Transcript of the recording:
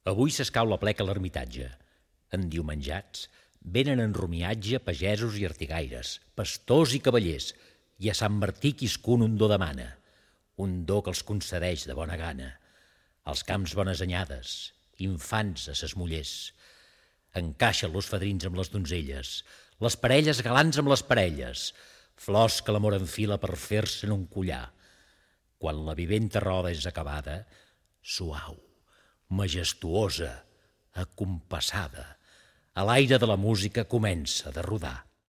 Avui s'escau la pleca a l'ermitatge. Endiumenjats, venen en rumiatge pagesos i artigaires, pastors i cavallers, i a Sant Martí quiscun un do demana, un do que els concedeix de bona gana. Als camps bones anyades, infants a ses mullers. Encaixen los fadrins amb les donzelles, les parelles galants amb les parelles, flors que l'amor enfila per fer-se'n un collar. Quan la viventa roda és acabada, suau, majestuosa, acompassada, a l'aire de la música comença de rodar.